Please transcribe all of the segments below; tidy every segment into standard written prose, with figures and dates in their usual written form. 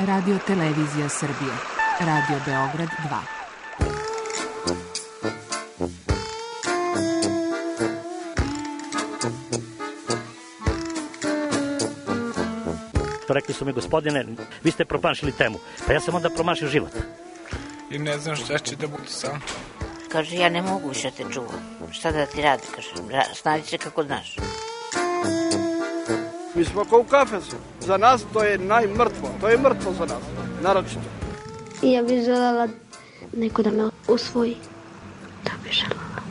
Radio Televizija Srbije. Radio Beograd 2. Rekli su mi, gospodine, vi ste promašili temu. Pa ja sam onda promašio život. I ne znam šta će da bude sam. Kaže, ja ne mogu više te čuvam. Šta da ti radi, kaže, snađi se kako znaš. Mi smo kao u kafesu. Za nas to je najmrtvo. To je mrtvo za nas, naročito. I ja bih želela neko da me usvoji. Da bih želela.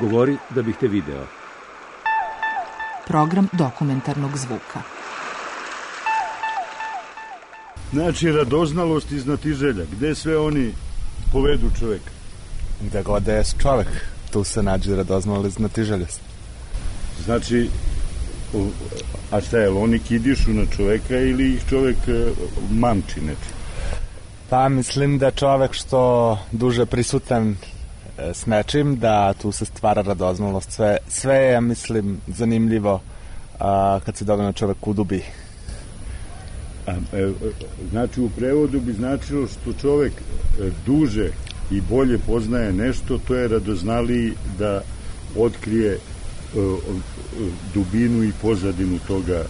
Govori da bih te video. Program dokumentarnog zvuka. Znači, radoznalost i znatiželja. Gde sve oni povedu čoveka? Gde god je čovek, tu se nađe radoznalost i znatiželja. Znači, a šta je, oni kidišu na čoveka ili ih čovek mamči neči? Pa mislim da čovek što duže prisutan s nečim, da tu se stvara radoznalost. Sve je, ja mislim, zanimljivo kad se dovoljno čovek udubi. Znači, u prevodu bi značilo što čovek duže i bolje poznaje nešto, to je radoznaliji da otkrije dubinu i pozadinu toga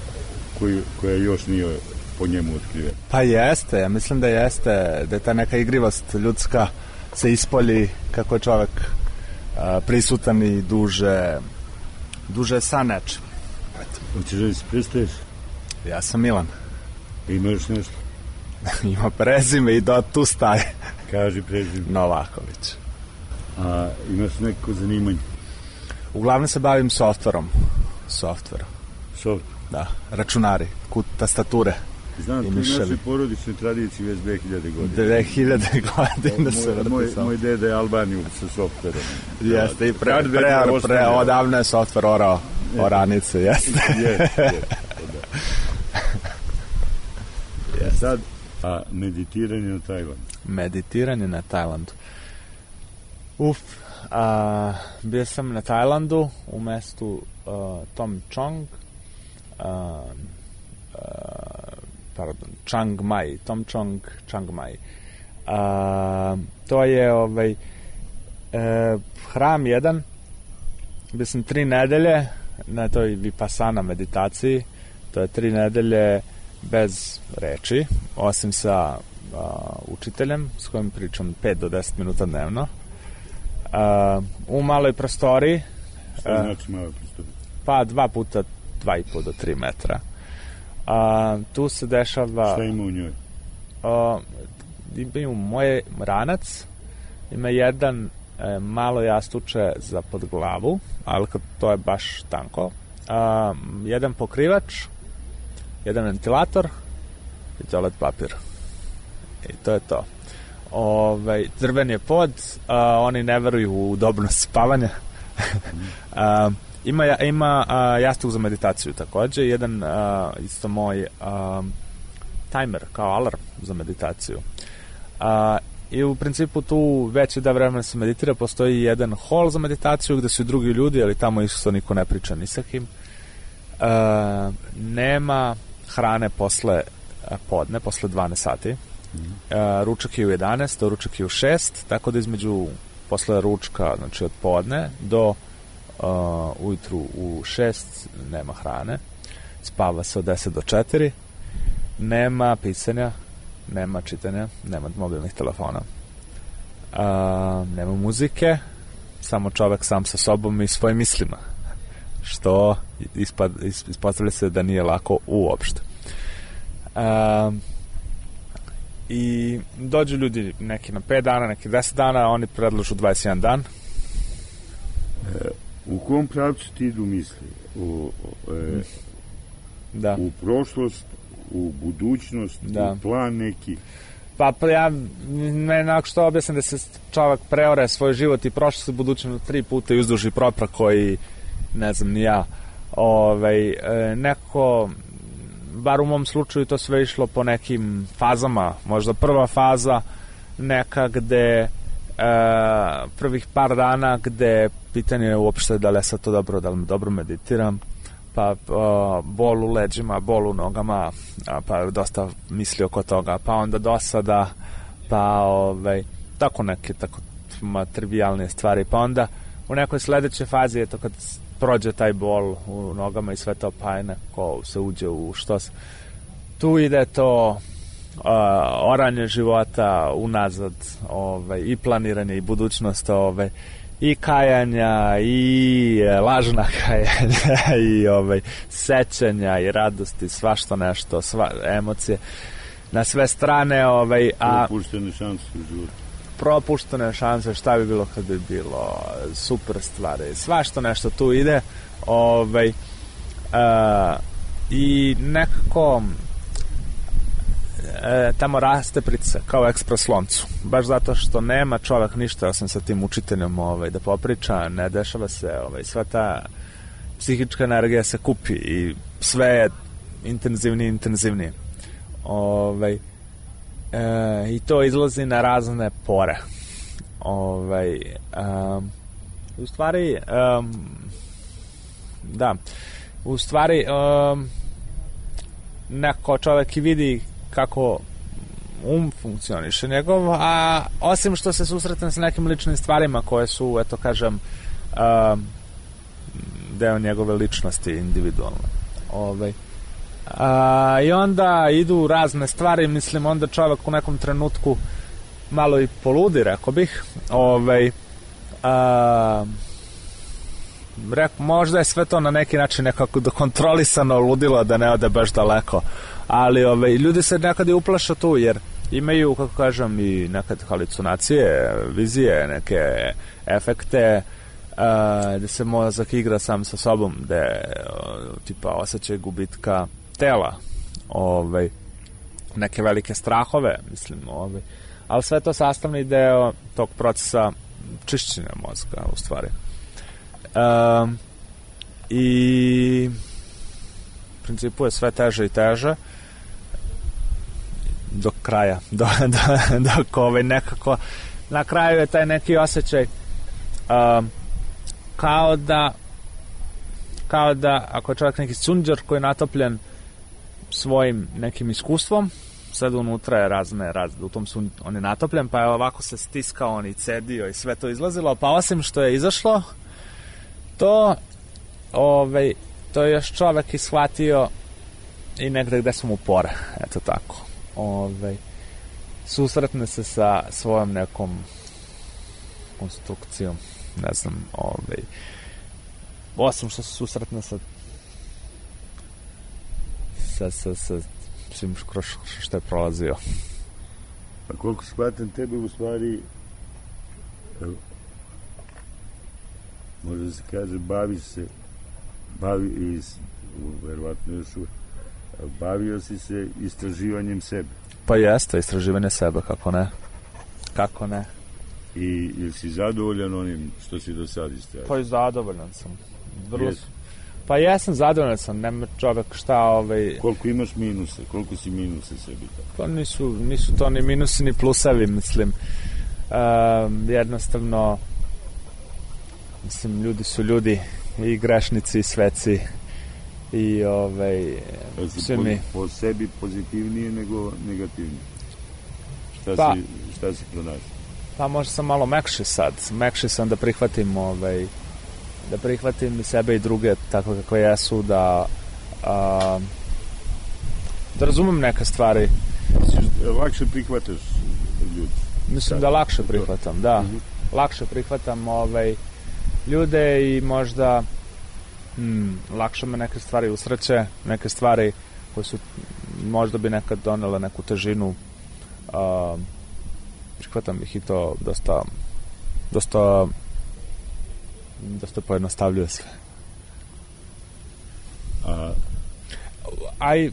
koja još nije po njemu otkrivena. Pa jeste, ja mislim da jeste, da je ta neka igrivost ljudska se ispolji kako je čovek prisutan i duže sa nečim. Hoćeš da se predstaviš? Ja sam Milan. Imaš nešto? Ima prezime i tu staje. Kaži prezime. Novaković. A imaš neko zanimanje? Uglavnom se bavim softverom. Softver? Da, računari, tastature. Znam, to je naše porodične tradicije već 2000 godina. 2000 godina se vrti. Moj deda je Albaniju sa softverom. Jeste, i odavno je softver orao oranice, jeste. Jeste. Sad, a meditiranje na Tajlandu? Meditiranje na Tajlandu. Bio sam na Tajlandu u mestu Tom Chong, Chiang Mai, Tom Chong, Chiang Mai. To je hram jedan, bio sam 3 nedelje na toj vipassana meditaciji, to je 3 nedelje bez reči, osim sa učiteljem s kojim pričam 5 do 10 minuta dnevno, u maloj prostoriji. Šta znači maloj prostoriji? Pa 2 puta 2,5 do 3 metra. Tu se dešava... Šta ima u njoj? Ima moj ranac, ima jedan malo jastuče za pod glavu, ali to je baš tanko, jedan pokrivač, jedan ventilator i toalet papir. I to je to. Drven je pod, oni ne veruju u udobnost spavanja. Ima jastuk za meditaciju takođe, jedan isto moj timer kao alarm za meditaciju. I u principu tu veći da vremena se meditira, postoji jedan hol za meditaciju gde su i drugi ljudi, ali tamo isto niko ne priča ni sa kim. Nema hrane posle podne, posle 12 sati. Ručak je u 11, ručak je u 6, tako da između posle ručka, znači od podne do ujutru u 6 nema hrane, spava se od 10 do 4, nema pisanja, nema čitanja, nema mobilnih telefona, nema muzike, samo čovek sam sa sobom i svojim mislima, što ispostavlja se da nije lako uopšte. I dođu ljudi neki na 5 dana, neki 10 dana, oni predlažu 21 dan. U kom pravcu ti idu misli? U prošlost, u budućnost, u plan neki? Pa ja nekako što objasnim da se čovjek preore svoj život i prošlost i budućnost 3 puta i uzduži propra koji, ne znam ni ja, nekako, bar u mom slučaju to sve išlo po nekim fazama. Možda prva faza neka gde prvih par dana gde pitanje je uopšte da li ja sad to dobro, da li dobro meditiram, pa bol u leđima, bol u nogama, pa je dosta mislio oko toga, pa onda dosada, pa tako neke tako trivijalne stvari, pa onda u nekoj sledećoj fazi, eto kad prođe taj bol u nogama i sve to, pa je neko se uđe u što se, tu ide to oranje života unazad, i planiranje i budućnost, i kajanja i lažna kajanja i sećanja i radosti, svašta nešto, emocije na sve strane, propuštene šanse u životu. Propuštene šanse, šta bi bilo kad bi bilo, super stvari, svašta nešto tu ide, i nekako tamo raste pritisak kao ekspres loncu, baš zato što nema čovjek ništa osim sa tim učiteljom da popriča, ne dešava se, sva ta psihička energija se kupi i sve je intenzivnije i to izlazi na razne pore, u stvari u stvari neko čovjek i vidi kako funkcioniše njegov, a osim što se susretne sa nekim ličnim stvarima koje su, eto kažem, deo njegove ličnosti individualne. I onda idu razne stvari, mislim, onda čovjek u nekom trenutku malo i poludi, rekao bih. Možda je sve to na neki način nekako kontrolisano ludilo da ne ode baš daleko, ali ljudi se nekad i uplaše tu, jer imaju, kako kažem, i nekad halucinacije, vizije, neke efekte, gde se mozak igra sam sa sobom, gde tipa osjećaj gubitka tela, neke velike strahove, mislim, ali sve to sastavni deo tog procesa čišćenja mozga, u stvari. I u principu je sve teže i teže do kraja, dok nekako na kraju je taj neki osjećaj kao da ako je čovjek neki sunđer koji je natopljen svojim nekim iskustvom, sad unutra je razne u tom on je natopljen, pa je ovako se stiskao, on i cedio i sve to izlazilo, pa osim što je izašlo, to je još čovjek ishvatio i negde gde su mu pore, eto tako. Susretne se sa svojom nekom konstrukcijom, ne znam, osim što se susretne sa svim što je prolazio. A koliko shvatam tebe, u stvari, može da se kaže, verovatno još bavio si se istraživanjem sebe. Pa jeste, istraživanje sebe, kako ne. I jesi zadovoljan onim što si do sada istražio? Pa i zadovoljan sam. Pa jesam, zadovoljan sam, nema čovjek šta... Koliko imaš minuse, koliko si minuse sebi? Pa nisu to ni minusi ni plusevi, mislim. Jednostavno, mislim, ljudi su ljudi, i grešnici i sveci, i svi mi. Po sebi pozitivnije nego negativnije? Šta si pronašao? Pa možda sam malo mekši sam da prihvatim da prihvatim i sebe i druge tako kako jesu, da razumem neke stvari. Lakše prihvataš ljudi? Mislim da lakše prihvatam, da. Lakše prihvatam ljude i možda lakše me neke stvari usreće, neke stvari koje su možda bi nekad donele neku težinu, prihvatam ih i to dosta pojednostavljuje sve. A i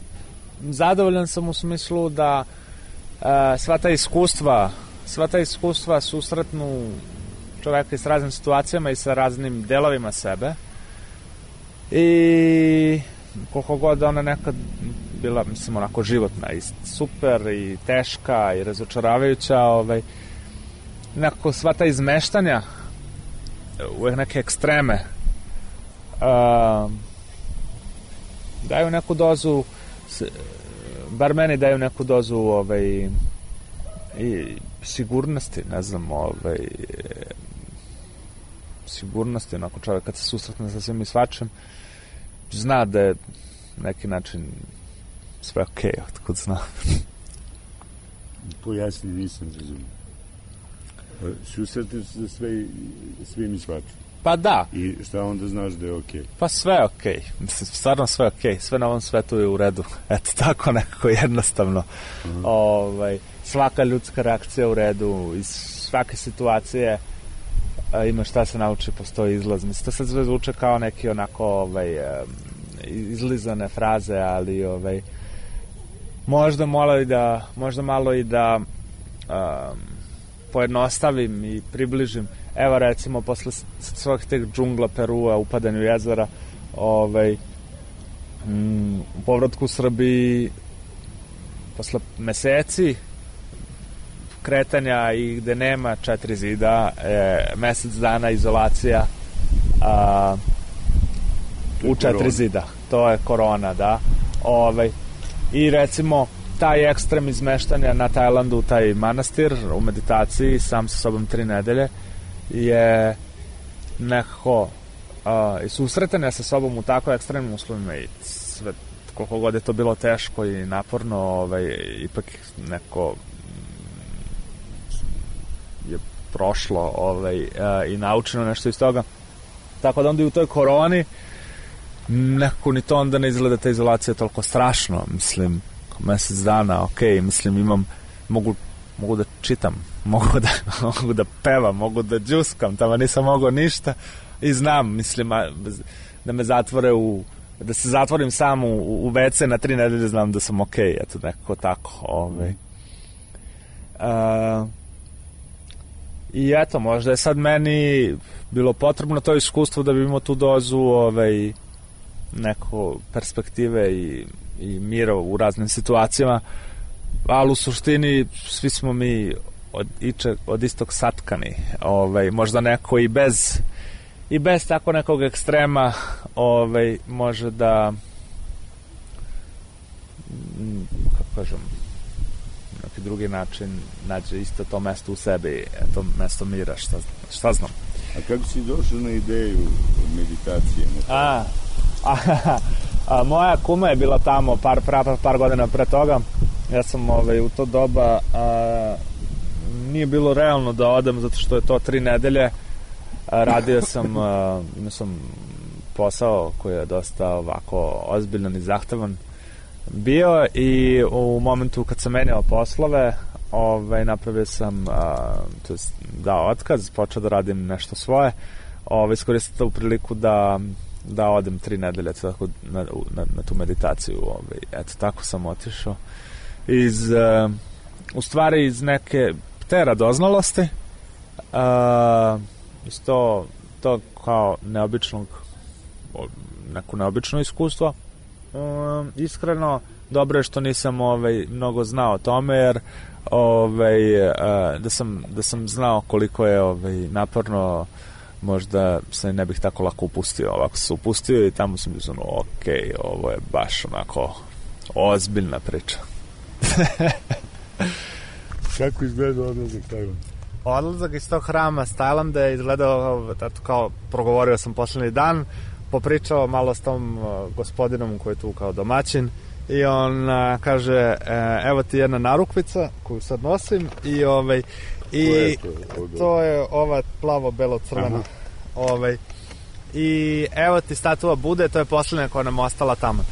zadovoljan sam u smislu da sva ta iskustva susretnu čoveka i s raznim situacijama i sa raznim delovima sebe, i koliko god ona nekad bila, mislim, onako životna i super i teška i razočaravajuća, nekako sva ta izmeštanja u neke ekstreme daju neku dozu, bar meni daju neku dozu i sigurnosti, ne znam, sigurnosti, onako čovjek kad se susretne sa svim i svačim, zna da je neki način sve okej, otkud zna. Pojasni, nisam razumio. Susretneš se svim i svačim. Pa da. I šta onda znaš da je okej? Pa sve je okej. Mislim, stvarno sve je okej. Sve na ovom svetu je u redu. Eto, tako nekako jednostavno. Svaka ljudska reakcija je u redu. Iz svake situacije ima šta se nauči, postoji izlaz. Mislim, to sad sve zvuče kao neki onako izlizane fraze, ali možda malo i da pojednostavim i približim. Evo recimo posle svojih teh džungla Perua, upadanju jezera, u povratku u Srbiji posle meseci kretanja i gde nema 4 zida, mesec dana izolacija u 4 zida. To je korona, da. I recimo taj ekstrem izmeštanja na Tajlandu, taj manastir u meditaciji, sam sa sobom 3 nedelje, je nekako i susretanja sa sobom u tako ekstremnim uslovima i sve, koliko god je to bilo teško i naporno, ipak neko je prošlo i naučeno nešto iz toga. Tako da onda i u toj koroni nekako ni to onda ne izgleda ta izolacija toliko strašno, mislim, mesec dana, okej, mislim, mogu da čitam, mogu da pevam, mogu da džuskam, tamo nisam mogao ništa i znam, mislim, da me zatvore da se zatvorim sam u WC na 3 nedelje, znam da sam okej, eto, nekako tako, I eto, možda je sad meni bilo potrebno to iskustvo da bi imao tu dozu neko perspektive i mira u raznim situacijama, ali u suštini svi smo mi od istog satkani, možda neko i bez tako nekog ekstrema može da, kako kažem, neki drugi način nađe isto to mesto u sebi, to mesto mira, šta znam. A kako si došao na ideju meditacije? Moja kuma je bila tamo par godina pre toga. Ja sam u to doba nije bilo realno da odem zato što je to 3 nedelje. Radio sam, imao sam posao koji je dosta ovako ozbiljan i zahtevan bio i u momentu kad sam menjao poslove napravio sam dao otkaz, počeo da radim nešto svoje, iskoristio tu priliku da odem 3 nedelje na tu meditaciju. Eto, tako sam otišao u stvari iz neke te radoznalosti, iz to kao neko neobično iskustvo. Iskreno, dobro je što nisam mnogo znao o tome, jer da sam znao koliko je naporno, možda se ne bih tako lako upustio. Ovako se upustio i tamo sam bio okej, ovo je baš onako ozbiljna priča. Kako izgleda odlazak Tajlanda? Odlazak iz tog hrama s Tajlanda je izgledao kao, progovorio sam poslednji dan, popričao malo s tom gospodinom koji je tu kao domaćin i on kaže, evo ti jedna narukvica koju sad nosim i to je ova plavo-belo-crvena. I evo ti statua Bude, to je posljednja koja nam ostala tamo.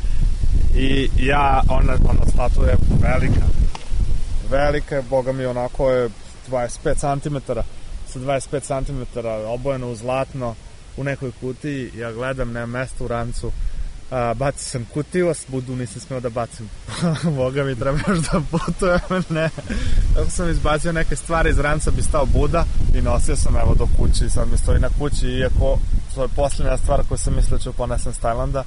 I ja, ona statua je velika je, boga mi, onako je 25 cm, sa 25 cm, obojeno u zlatno, u nekoj kutiji. Ja gledam, nema mesta u rancu, bacio sam kutiju, a Budu nisam smeo da bacim. Boga mi, treba još da putujem, ne. Tako sam izbacio neke stvari iz ranca, bi stao Buda i nosio sam evo do kući, sad mi stoji na kući, iako to je posljednja stvar koju sam mislio ću ponesem s Tajlanda,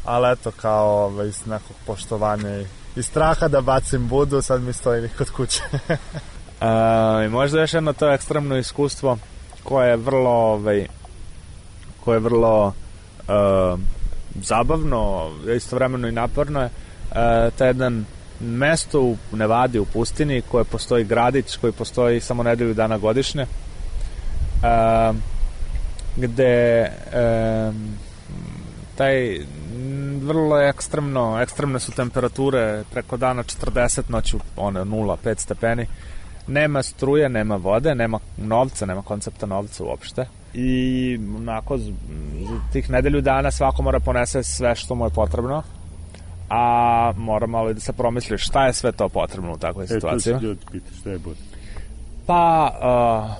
ali eto, kao iz nekog poštovanja i straha da bacim Budu, sad mi stoji kod kuće. I možda još jedno to ekstremno iskustvo koje je vrlo zabavno, istovremeno i naporno je to je jedan mesto u Nevadi, u pustinji, koje postoji gradić, koji postoji samo nedelju dana godišnje, gde taj vrlo ekstremne su temperature, preko dana 40, noću 0-5 stepeni, nema struje, nema vode, nema novca, nema koncepta novca uopšte i onako za tih nedelju dana svako mora ponese sve što mu je potrebno, a mora malo i da se promisli šta je sve to potrebno u takvoj situaciji. To se ljudi pita, šta je potrebno? Pa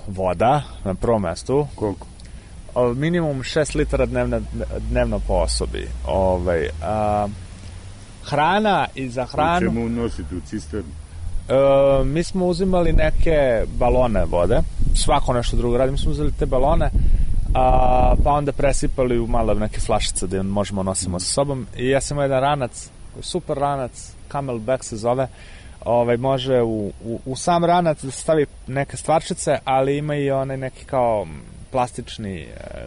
voda na prvom mestu. Koliko? Minimum 6 litara dnevno po osobi. Hrana i za hranu... U čemu nositi u cisternu? Mi smo uzimali neke balone vode, svako nešto drugo radi, mi smo uzeli te balone, pa onda presipali u malo neke flašice da možemo nosimo sa sobom. I ja sam imao jedan ranac, super ranac, Camelback se zove, može u sam ranac da se stavi neke stvarčice, ali ima i onaj neki kao plastični,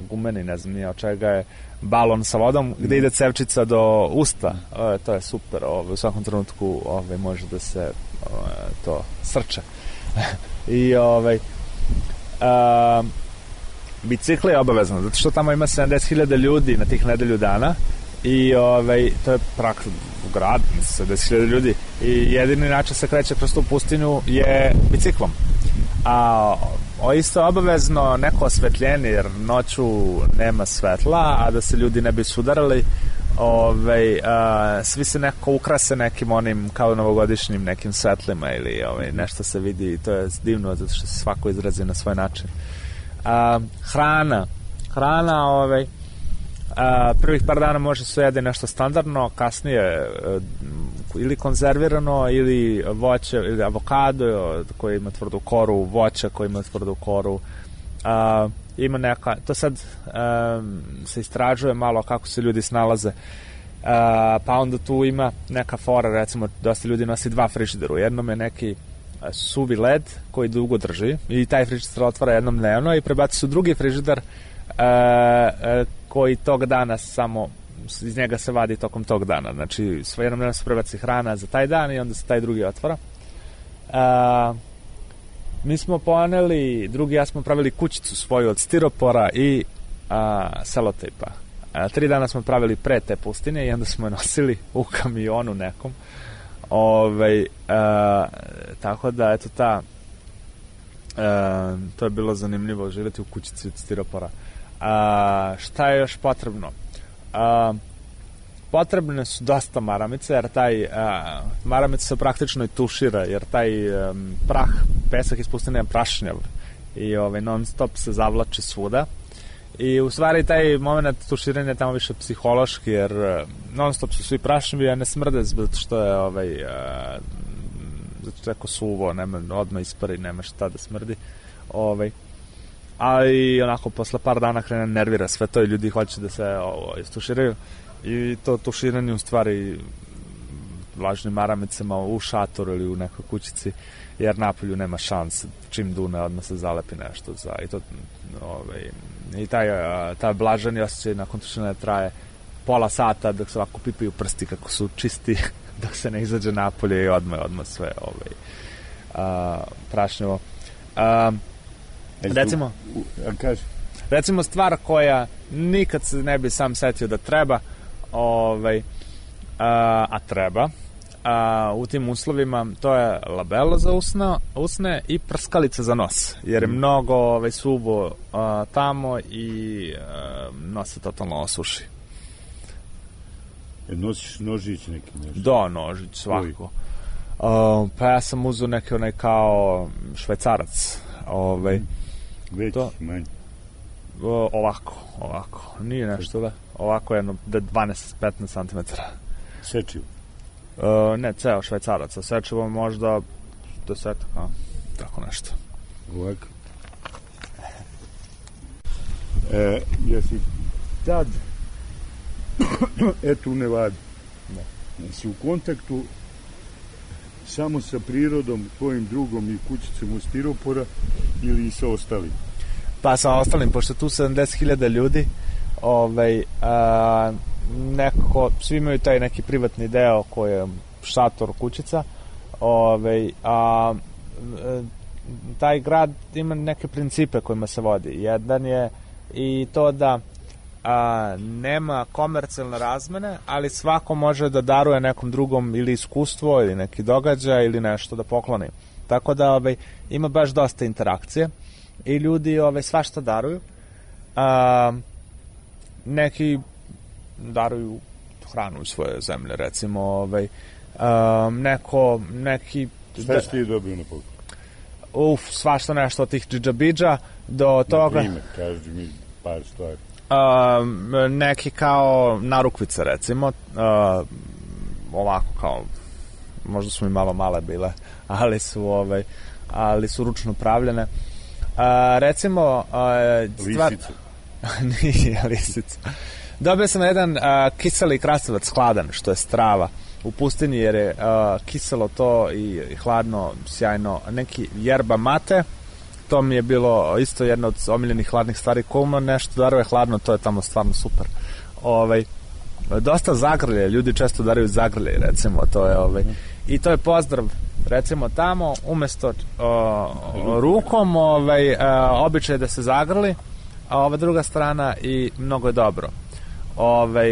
gumeni, ne znam nije od čega je, balon sa vodom gde ide cevčica do usta. To je super, u svakom trenutku može da se to srče. I bicikl je obavezno, zato što tamo ima 70.000 ljudi na tih nedelju dana i to je praktično u grad 70.000 ljudi i jedini način se kreće kroz tu pustinju je biciklom. A isto obavezno neko osvetljenje, jer noću nema svetla, a da se ljudi ne bi sudarali, svi se neko ukrase nekim onim kao novogodišnjim nekim svetlima ili nešto se vidi i to je divno zato što se svako izrazi na svoj način. Hrana prvih par dana može se jede nešto standardno, kasnije ili konzervirano ili voće ili avokado koji ima tvrdu koru, voće koji ima tvrdu koru, ima neka, to sad se istražuje malo kako se ljudi snalaze, pa onda tu ima neka fora, recimo dosta ljudi nosi 2 frižidera, u jednom je neki suvi led koji dugo drži i taj frižider otvara jednom dnevno i prebaci se u drugi frižider koji tog dana samo iz njega se vadi tokom tog dana, znači jednom dnevno se prebaci hrana za taj dan i onda se taj drugi otvara. Mi smo poneli, ja smo pravili kućicu svoju od stiropora i selotejpa. 3 dana smo pravili pre te pustine i onda smo je nosili u kamionu nekom. Tako da, eto to je bilo zanimljivo živjeti u kućici od stiropora. Šta je još potrebno? Potrebne su dosta maramice, jer maramica se praktično i tušira, jer taj pesak iz pustine je prašnjav i non stop se zavlači svuda. I u stvari taj moment tuširanja je tamo više psihološki, jer non stop su svi prašnjavi, a ne smrde zato što je zato što je jako suvo, nema, odmah ispari, nema šta da smrdi. Ali onako posle par dana krene nervira sve to i ljudi hoće da se istuširaju i to tuširanje u stvari vlažnim maramicama u šatoru ili u nekoj kućici, jer napolju nema šanse, čim dune odmah se zalepi nešto i taj blaženi osjećaj nakon tuširanja traje pola sata dok se ovako pipaju prsti kako su čisti dok se ne izađe napolje i odmah sve prašnjavo. Recimo stvar koja nikad se ne bi sam setio da treba, a treba u tim uslovima, to je labelo za usne i prskalica za nos, jer je mnogo suvo tamo i nos se totalno osuši. Nosiš nožić neki nešto? Da, nožić, svako. Pa ja sam uzeo neki onaj kao švajcarac. Veći, manji? Ovako. Nije nešto da. Ovako jedno 12-15 cm. Sečivo? Ne, ceo švajcarac. A sečivo možda 10, tako nešto. Ovako. Jesi tad eto u Nevadi? Jesi u kontaktu samo sa prirodom, tvojim drugom i kućicom od stiropora ili i sa ostalim? Pa sa ostalim, pošto tu 70.000 ljudi, nekako, svi imaju taj neki privatni deo koji je šator, kućica, taj grad ima neke principe kojima se vodi. Jedan je i to da nema komercijalne razmene, ali svako može da daruje nekom drugom ili iskustvo ili neki događaj ili nešto da pokloni. Tako da ima baš dosta interakcije i ljudi svašta daruju. Neki daruju hranu iz svoje zemlje, recimo neki... Šta si ti dobio na poklon? Svašta nešto od tih džidžabidža do toga... Na primjer, kaži mi par stvari. Neki kao narukvice, recimo, ovako kao, možda su mi malo male bile, ali su ručno pravljene. Recimo... Lisica. Nije lisica. Dobio sam jedan kiseli krastavac hladan, što je strava u pustinji, jer je kiselo to i hladno, sjajno. Neki yerba mate, to mi je bilo isto jedno od omiljenih hladnih stvari. Ko nešto daruje hladno, to je tamo stvarno super. Dosta zagrlje, ljudi često daraju zagrlje, recimo, to je i to je pozdrav, recimo tamo, umesto rukom, običaj da se zagrli, a ova druga strana i mnogo je dobro.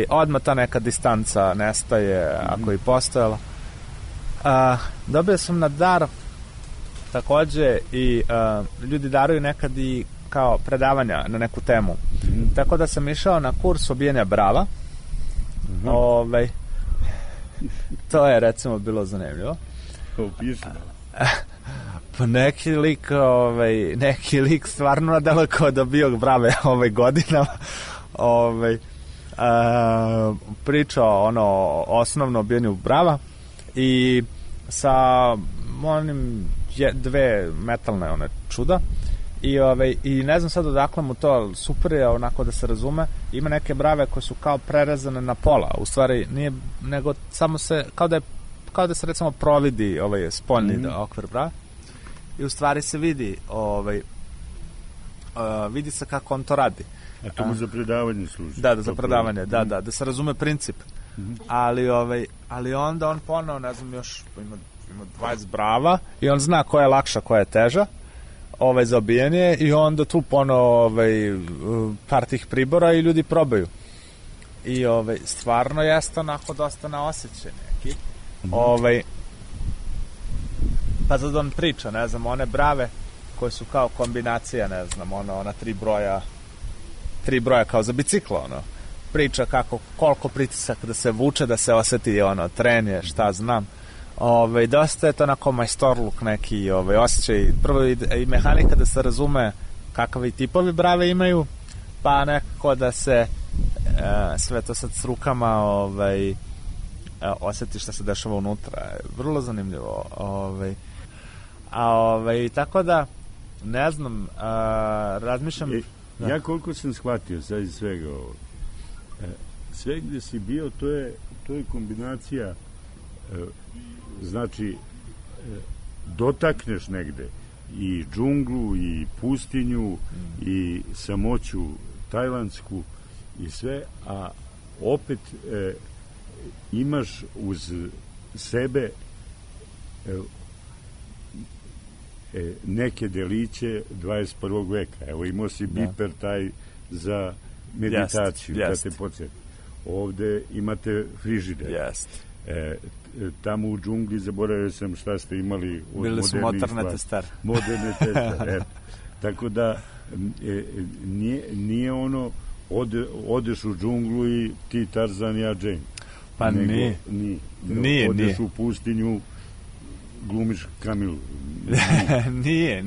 Odmah ta neka distanca nestaje, ako i postojala. Dobio sam na dar takođe i ljudi daruju nekad i kao predavanja na neku temu. Tako da sam išao na kurs obijanja brava. To je recimo bilo zanimljivo. Pa neki lik stvarno nadaleko kao da bio brave godinama. Pričao osnovno obijanju brava i sa onim dve metalne čuda i ne znam sad odakle mu to, super je onako da se razume. Ima neke brave koje su kao prerezane na pola, u stvari nije, nego samo se kao da se recimo providi spoljni okvir brava i u stvari se vidi vidi se kako on to radi. A to mu za predavanje služi. Da, za predavanje, da se razume princip. Ali onda on ponao, ne znam, još ima 20 brava i on zna koja je lakša, koja je teža za obijanje i onda tu ponao par tih pribora i ljudi probaju. I stvarno jeste onako dosta na osjećaj neki. Pa sad on priča, ne znam, one brave koje su kao kombinacija, ne znam, ona tri broja kao za biciklo, priča koliko pritisak da se vuče, da se oseti trenje, šta znam. Dosta je to onako majstorluk neki osjećaj, prvo i mehanika da se razume kakvi tipovi brave imaju, pa nekako da se sve to sad s rukama osjeti šta se dešava unutra. Vrlo zanimljivo. Tako da ne znam, razmišljam... Ja koliko sam shvatio sad iz svega ovo, sve gde si bio, to je kombinacija, znači, dotakneš negde i džunglu, i pustinju, i samoću tajlandsku, i sve, a opet imaš uz sebe neke deliće 21. veka. Evo, imao si biper taj za meditaciju, da te podsjeti. Ovde imate frižider. Tamo u džungli zaboravio sam šta ste imali od bili su motorne testere. Moderne testere, tako da nije odeš u džunglu i ti Tarzan, ja Jane. Pa nije. Odeš u pustinju, glumiš Kamilu. Nije.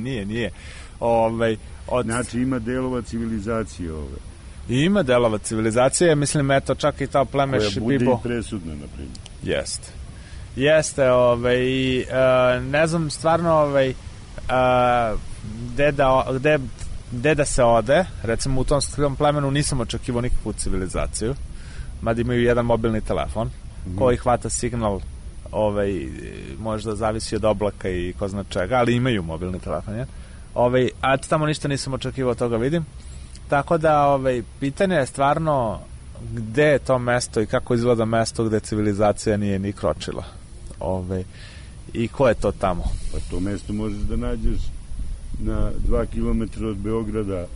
Znači ima delova civilizacije ove. Ima delova civilizacije, mislim, eto, čak i ta pleme Šibibo. Koja bude i presudna, na primjer. Jeste, i ne znam stvarno gde da se ode. Recimo u tom plemenu nisam očekivao nikakvu civilizaciju, mada imaju jedan mobilni telefon koji hvata signal, možda zavisi od oblaka i ko zna čega, ali imaju mobilni telefon, a tamo ništa nisam očekivao, toga vidim. Tako da pitanje je stvarno gde je to mesto i kako izgleda mesto gde civilizacija nije ni kročila. I ko je to tamo? Pa to mesto možeš da nađeš na 2 kilometra od Beograda.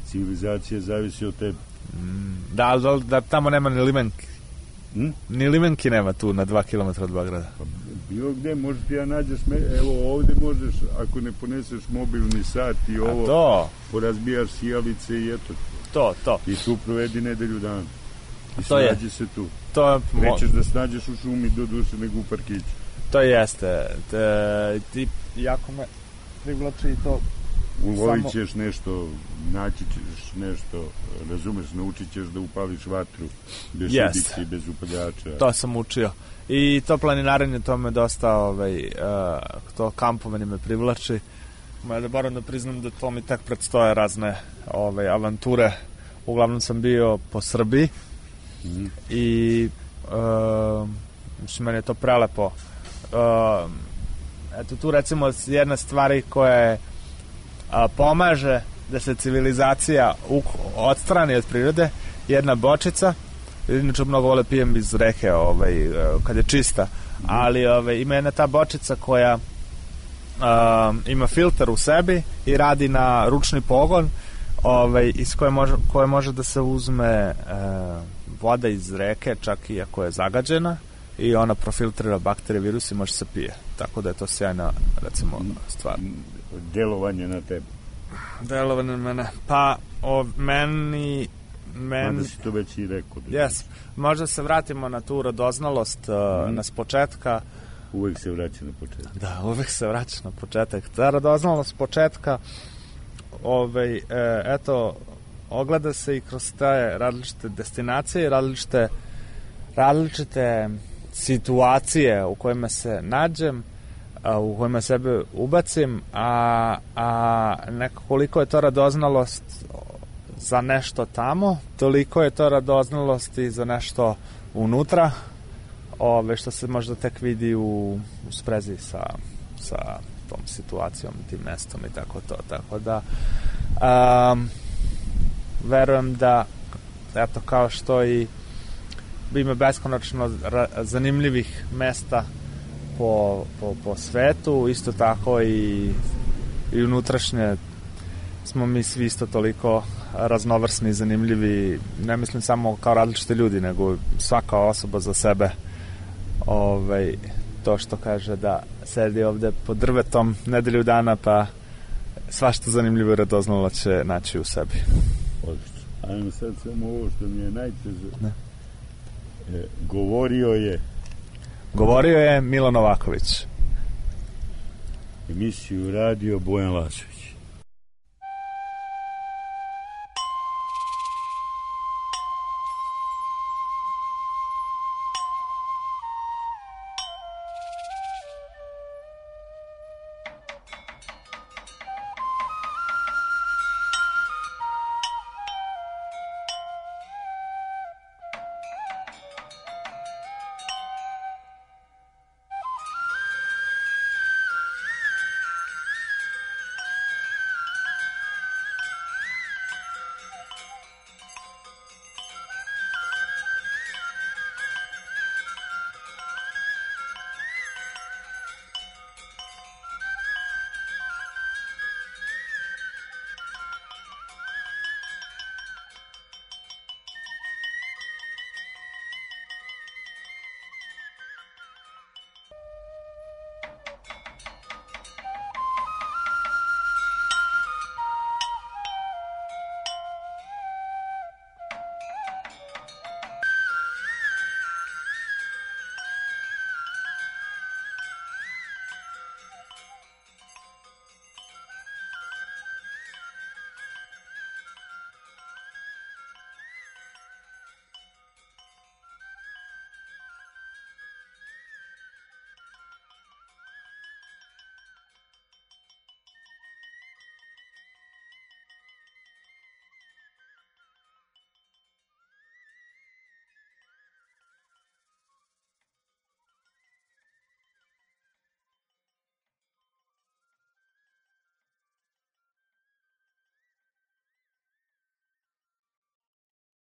Civilizacija zavisi od tebe. Da tamo nema ni limenki. Ni limenki nema tu na 2 kilometra od Beograda. Pa bilo gde možeš ti ja nađeš, evo ovde možeš, ako ne poneseš mobilni sat i ovo, porazbijaš sijalice i eto. To. I tu provedi nedelju dana. I to snađi se tu. Nećeš da snađeš u šumi do duše nego u parkiću. To jeste. Ti jako me privlači i to. Ulovit ćeš nešto, naći ćeš nešto, razumeš, naučit ćeš da upališ vatru bez udice i bez upaljača. To sam učio. I to planinarenje, to me dosta, to kampovanje me privlači. Moram da priznam da to mi tak predstoje razne avanture. Uglavnom sam bio po Srbiji i meni je to prelepo. Eto tu recimo jedna stvari koja je pomaže da se civilizacija odstrani od prirode, jedna bočica. Inače mnogo vole pijem iz reke kad je čista, ali ima jedna ta bočica koja ima filter u sebi i radi na ručni pogon, iz koje može da se uzme voda iz reke, čak i ako je zagađena, i ona profiltrira bakterije, virus i može se pije. Tako da je to sjajna, recimo, stvar. Delovanje na tebe. Delovanje na mene. Pa, meni... Mada si to već i rekao. Yes. Možda se vratimo na tu radoznalost nas početka. Uvek se vraća na početak. Da, uvek se vraća na početak. Ta radoznalost početka eto, ogleda se i kroz te različite destinacije, različite situacije u kojima se nađem, u kojima sebe ubacim, a koliko je to radoznalost za nešto tamo, toliko je to radoznalost i za nešto unutra, što se možda tek vidi u sprezi sa tom situacijom, tim mestom i tako da verujem da eto, kao što i ima beskonačno zanimljivih mesta po svetu, isto tako i unutrašnje smo mi svi isto toliko raznovrsni i zanimljivi, ne mislim samo kao različite ljudi, nego svaka osoba za sebe. To što kaže da sedi ovde pod drvetom nedelju dana, pa svašta zanimljivo i radoznalo će naći u sebi. Odlično. Ajmo sad samo ovo što mi je najteže. Govorio je Milo Novaković. Emisiju radio Bojan Lašević.